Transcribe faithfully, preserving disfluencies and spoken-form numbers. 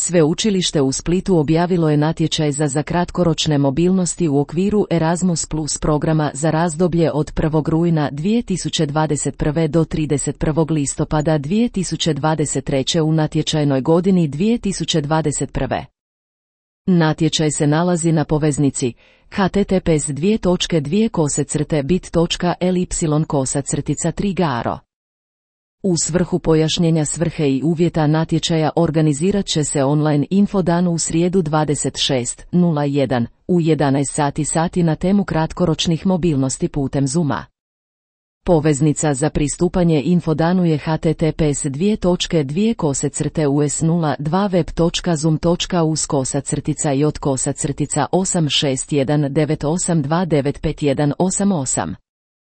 Sveučilište u Splitu objavilo je natječaj za za kratkoročne mobilnosti u okviru Erasmus plus programa za razdoblje od prvog rujna dvije tisuće dvadeset prve do trideset prvog listopada dvije tisuće dvadeset treće u natječajnoj godini dvije tisuće dvadeset prve. Natječaj se nalazi na poveznici h t t p s dvije točke dvije kose crte bit točka l y kosa crtica tri garo. U svrhu pojašnjenja svrhe i uvjeta natječaja organizirat će se online infodan u srijedu dvadeset šestog prvog u jedanaest sati sati na temu kratkoročnih mobilnosti putem Zooma. Poveznica za pristupanje infodanu je h t t p s dvije točke dvije kose crte u s nula dva web točka zoom točka u s kosa crtica j kosa crtica osam šest jedan devet osam dva devet pet jedan osam osam.